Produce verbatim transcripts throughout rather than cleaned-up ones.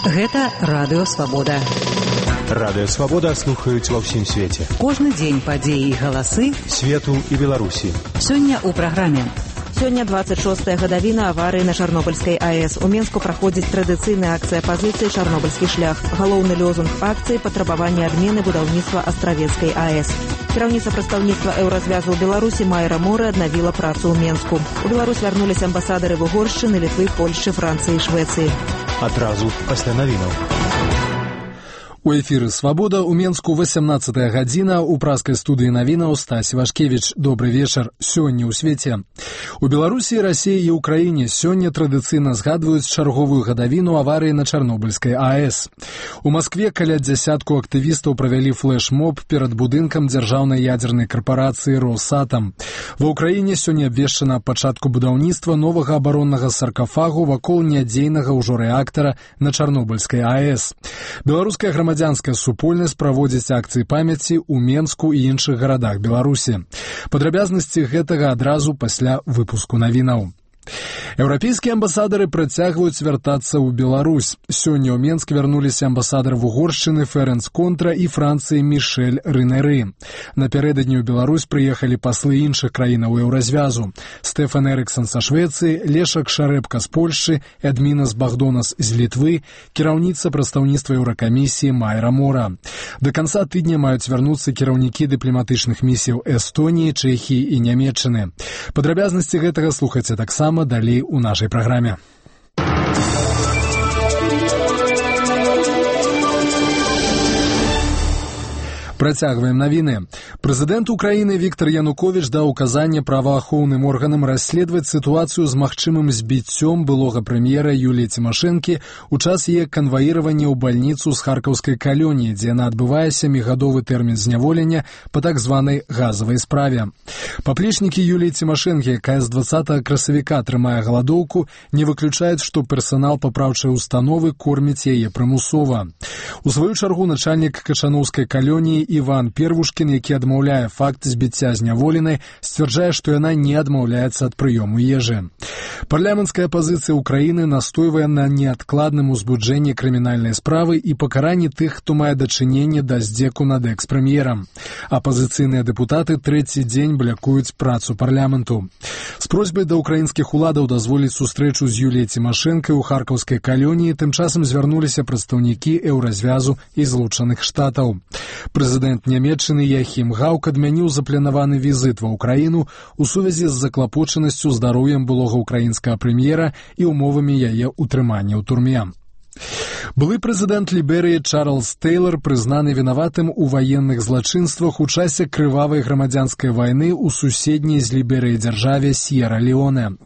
Гэта Радыё Свабода. Радыё Свабода слухаюць ва ўсім свеце. Кожны дзень падзеі і галасы свету і Беларусі. Сёння ў праграме. Сёння двадцать шостая гадавіна аварыі на Чарнобыльскай АЭС. У Менску праходзіць традыцыйная акцыя апазіцыі «Чарнобыльскі шлях». Галоўны лозунг акцыі – патрабаванне адмены будаўніцтва Астравецкай АЭС. Кіраўніца прадстаўніцтва Еўразвязу ў Беларусі Майра Мора аднавіла працу ў Менску. У Беларусь вярнуліся амбасадары Угоршчыны, Літвы, Польшчы, Францыі і Швецыі. Адразу пасля навінаў. У эфіры «Свабода» у Менску восемнадцатая гадзіна. У праскай студыі навінаў Стась Вашкевіч. Добры вечар. Сёння ў свеце. У Беларусі, Расіі і Украіне сёння традыцыйна згадваюць чарговую гадавіну аварыі на Чарнобыльскай АЭС. У Маскве каля дзясятку актывістаў правялі флэш-моб перад будынкам дзяржаўнай ядзернай карпорацыі «Росатам». Ва ўкраіне сёння абвешчана пачатку будаўніцтва новага абароннага саркафагу вакол нядзейнага ўжо рэактара на Чарнобыльскай АЭС. Беларуская грамадзянская Грамадзянская супольнасць праводзіць акцыі памяці ў Менску і іншых гарадах Беларусі. Падрабязнасці гэтага адразу пасля выпуску навінаў. Еўрапейскія амбасадары працягваюць вяртацца ў Беларусь. Сёння ў Менск вярнуліся амбасадар Угоршчыны Ферэнц Контра і Францыі Мішэль Рынеры. Напярэдадні ў Беларусь прыехалі паслы іншых краінаў Еўразвязу. Стэфан Эрыксон са Швецыі, Лешак Шарэпка з Польшчы, Эдмінас Багдонас з Літвы, кіраўніца прадстаўніцтва Еўракамісіі Майра Мора. Да канца тыдня маюць вярнуцца кіраўнікі дыпламатычных місіяў Эстоніі, Чэхіі і Нямецчыны. Падрабязнасці гэтага слухайце таксама далей у нашай праграме. Працягваем навіны. Прэзідэнт Украіны Віктор Януковіч даў указанне праваахоўным органам расследаваць сітуацыю з магчымым збіццём былога прэм'ера Юліі Цімашэнкі ў час яе канваіравання ў бальніцу з харкаўскай калоніі, дзе яна адбывае сямігадовы тэрмін зняволення па так званай газавай справе. Паплечнікі Юліі Цімашэнкі, якая з дваццатага красавіка трымае галадоўку, не выключаюць, што персанал папраўчай установы корміць яе прымусова. У сваю чаргу начальнік качанаўскай калоніі Іван Первушкін, які адмаўляе факт збіцця зняволенай, сцвярджае, што яна не адмаўляецца ад прыёму ежы. Парламенцкая апазіцыя Украіны настойвае на неадкладным узбуджэнні крымінальнай справы і пакаранні тых, хто мае дачыненне да здзеку над экс-прэм'ерам. Апазіцыйныя дэпутаты трэці дзень блякуюць працу парламенту. З просьбай да украінскіх уладаў дазволіць сустрэчу з Юліяй Цімашэнкай у харкаўскай калоніі тым часам звярнуліся прадстаўнікі Еўразвязу і Злучаных Штатаў. Прэзідэнт Нямецчыны Яхім Гаўк адмяніў запланаваны візіт ва ўкраіну у сувязі з заклапочанасцю здароўем былога украінскага прэм'ера і умовамі яе ўтрымання ў турме. Былы прэзідэнт Ліберыі Чарльз Тэйлар прызнаны вінаватым у ваенных злачынствах у часе крывавай грамадзянскай вайны ў суседняй з Ліберыяй дзяржаве Сьерра-Леоне.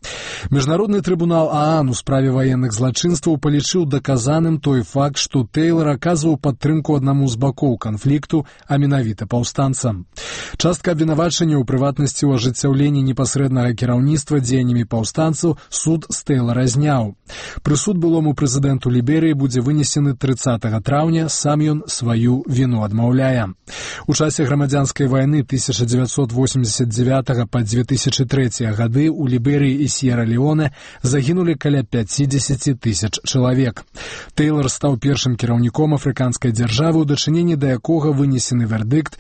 Міжнародны трыбунал ААН у справе ваенных злачынстваў палічыў даказаным той факт, што Тэйлар аказваў падтрымку аднаму з бакоў канфлікту, а менавіта паўстанцам. Частка абвінавачання ў прыватнасці ў ажыццяўленні непасрэднага кіраўніцтва дзеяннямі паўстанцаў суд з Тэйлара зняў. Прысуд былому прэзідэнту Ліберыі будзе вынесены трыццатага траўня, сам ён сваю віну адмаўляе. У часе грамадзянскай вайны тысяча дзевяцьсот восемьдесят девятага па две тысячи трэці гады ў Ліберыі і Сьерра-Леоне загінулі каля пяцьдзесят тысяч чалавек. Тэйлар стаў першым кіраўніком афрыканскай дзяржавы, у дачыненні да якога вынесены вердыкт